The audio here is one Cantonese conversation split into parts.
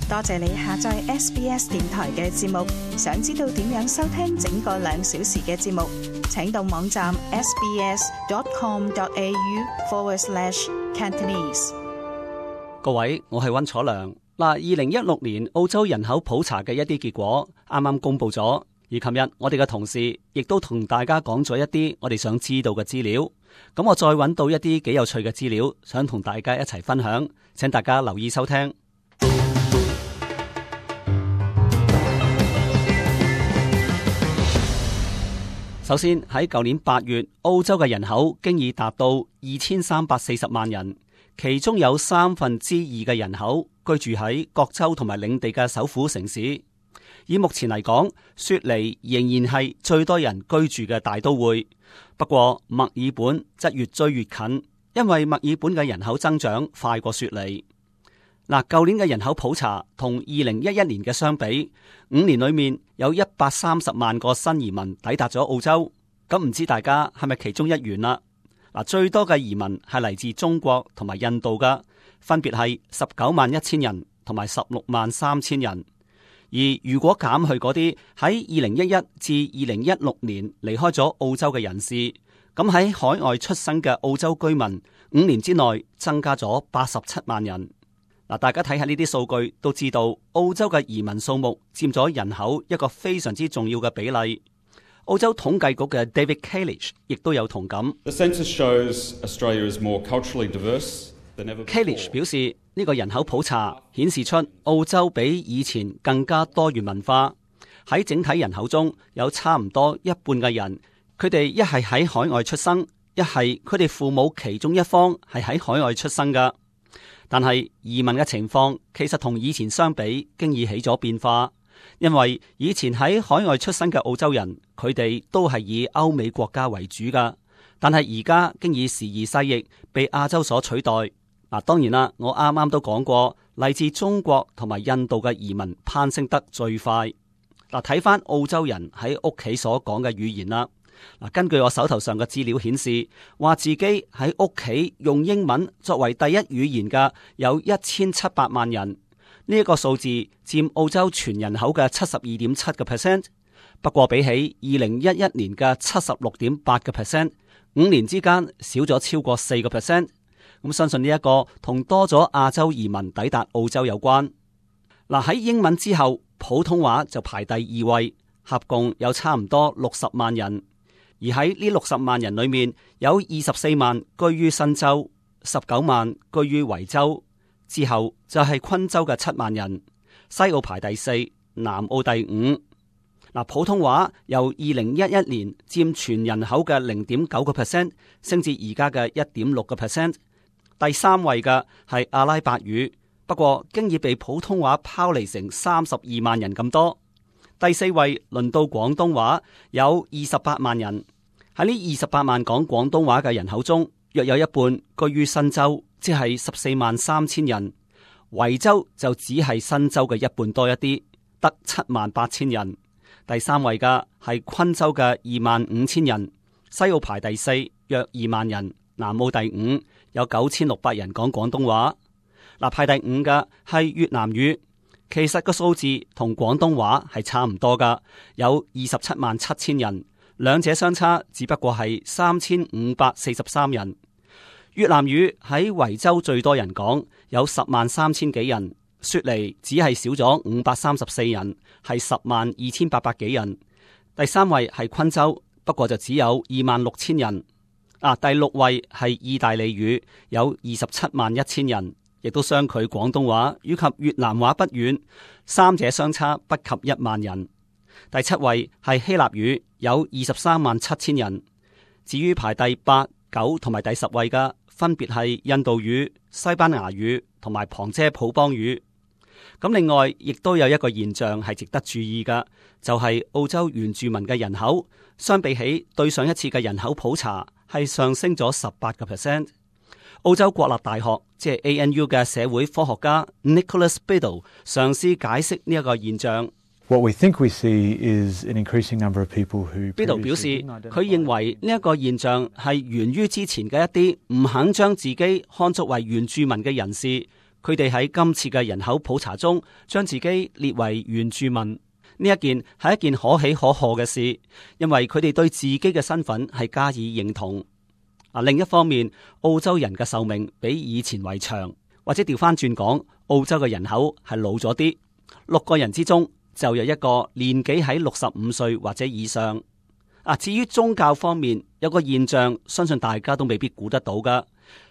多謝你下載 SBS 電台嘅節目。想知道點樣收聽整個2小時嘅節目，請到網站 sbs.com.au/Cantonese。各位，我係溫楚良。2016年澳洲人口普查嘅一啲結果啱啱公布咗，而琴日我哋嘅同事亦都同大家講咗一啲我哋想知道嘅資料。咁我再揾到一啲幾有趣嘅資料，想同大家一齊分享，請大家留意收聽。首先喺舊年8月，澳洲嘅人口經已達到2340萬人，其中有2/3嘅人口居住喺各州同埋領地嘅首府城市。以目前嚟講，雪梨仍然係最多人居住嘅大都會。不過墨爾本則越追越近，因為墨爾本嘅人口增長快過雪梨。舊年嘅人口普查同2011年嘅相比，5年裏面有130萬個新移民抵達咗澳洲。咁唔知大家係咪其中一員啦？最多嘅移民係嚟自中國同埋印度噶，分別係191000人同埋163000人。而如果減去嗰啲喺2011至2016年離開咗澳洲嘅人士，咁喺海外出生嘅澳洲居民5年之內增加咗87萬人。大家睇下呢啲數據都知道，澳洲嘅移民數目佔咗人口一個非常之重要嘅比例。澳洲統計局嘅 David Kalish 亦都有同感。The census shows Australia is more culturally diverse than ever before. Kalish 表示，呢個人口普查顯示出澳洲比以前更加多元文化。喺整體人口中，有差唔多一半嘅人，佢哋一係喺海外出生，一係佢哋父母其中一方係喺海外出生噶。但係移民嘅情況其實同以前相比，經已起咗變化。因為以前喺海外出生嘅澳洲人，佢哋都係以歐美國家為主噶。但係而家經已時移世易，被亞洲所取代。當然啦，我啱啱都講過，嚟自中國同埋印度嘅移民攀升得最快。睇翻澳洲人喺屋企所講嘅語言啦。根據我手頭上嘅資料顯示，話自己喺屋企用英文作為第一語言嘅有1700萬人，呢一個數字佔澳洲全人口嘅72.7%。不過比起2011年嘅76.8%， 5年之間少咗超過4%。咁相信呢一個同多咗亞洲移民抵達澳洲有關。喺英文之後，普通話就排第2位，合共有差唔多60萬人。而喺呢60萬人裏面，有24萬居於新州，19萬居於維州，之後就係昆州嘅7萬人，西澳排第4，南澳第5。普通話由2011年佔全人口嘅0.9%升至而家嘅1.6%。第3位嘅係阿拉伯語，不過經已被普通話拋離成32萬人咁多。第4位輪到廣東話，有28萬人。喺呢28萬講廣東話嘅人口中，約有一半居於新州，即係143000人。維州就只係新州嘅一半多一啲，得78000人。第3位嘅係昆州嘅25000人，西澳排第4，約2萬人，南澳第5，有9600人講廣東話。排第5嘅係越南語，其實個數字同廣東話係差唔多噶，有277000人。兩者相差只不過係3543人。越南語喺維州最多人講，有103000幾人，雪梨只係少咗534人，係102800幾人。第3位係昆州，不過就只有26000人。第6位係意大利語，有271000人，亦都相距廣東話以及越南話不遠，三者相差不及1萬人。第7位係希臘語，有237000人。至於排第8、9同埋第10位嘅，分別係印度語、西班牙語同埋旁遮普邦語。咁另外亦都有一個現象係值得注意嘅，就係澳洲原住民嘅人口相比起對上一次嘅人口普查係上升咗18%。澳洲國立大學即係 ANU 嘅社會科學家 Nicholas Biddle 嘗試解釋呢一個現象。What we think we see is an increasing number of people who Biddle 表示，佢認為呢一個現象係源於之前嘅一啲唔肯將自己看作為原住民嘅人士，佢哋喺今次嘅人口普查中將自己列為原住民。呢一件係一件可喜可賀嘅事，因為佢哋對自己嘅身份係加以認同。另一方面，澳洲人嘅壽命比以前為長，或者調翻轉講，澳洲嘅人口係老咗啲，6個人之中就有一個年紀喺65歲或者以上。至於宗教方面，有個現象，相信大家都未必估得到噶，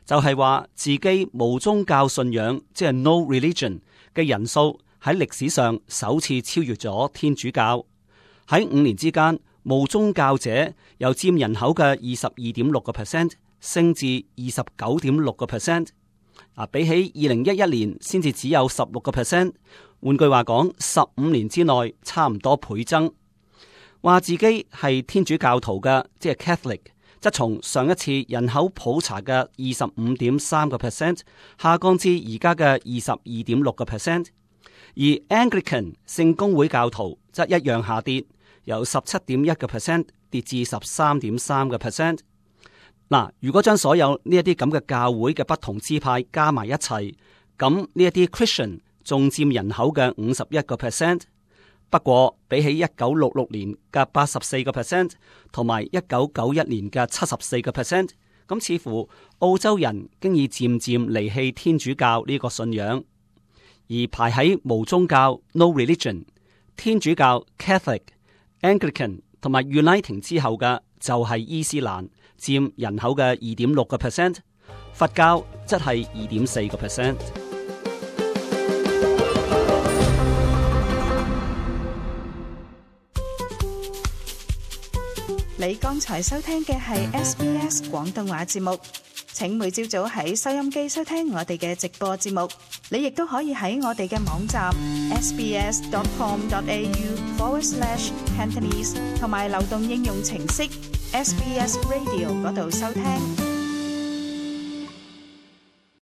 就係話自己無宗教信仰，即係 no religion 嘅人數喺歷史上首次超越咗天主教。喺5年之間，無宗教者由佔人口嘅22.6% 升至29.6%。比起2011年先至只有16%。換句話講，15年之內差唔多倍增。話自己係天主教徒嘅，即係 Catholic， 則從上一次人口普查嘅25.3% 下降至而家嘅22.6%。而 Anglican 聖公會教徒則一樣下跌，由17.1% 跌至13.3%。如果將所有呢一啲咁嘅教會嘅不同支派加埋一齊，咁呢一啲 Christian 仲佔人口嘅51%。不過比起1966年嘅84%同埋1991年嘅74%，咁似乎澳洲人經已漸漸離棄天主教呢個信仰。而排喺無宗教 no religion、天主教 Catholic、Anglican 同埋 Uniting 之後嘅就係伊斯蘭，佔人口嘅2.6%，佛教則係2.4%。你剛才收聽嘅係 SBS 廣東話節目，請每朝早喺收音機收聽我哋嘅直播節目。你亦都可以喺我哋嘅網站 sbs.com.au/Cantonese 同埋流動應用程式 SBS Radio 嗰度收聽。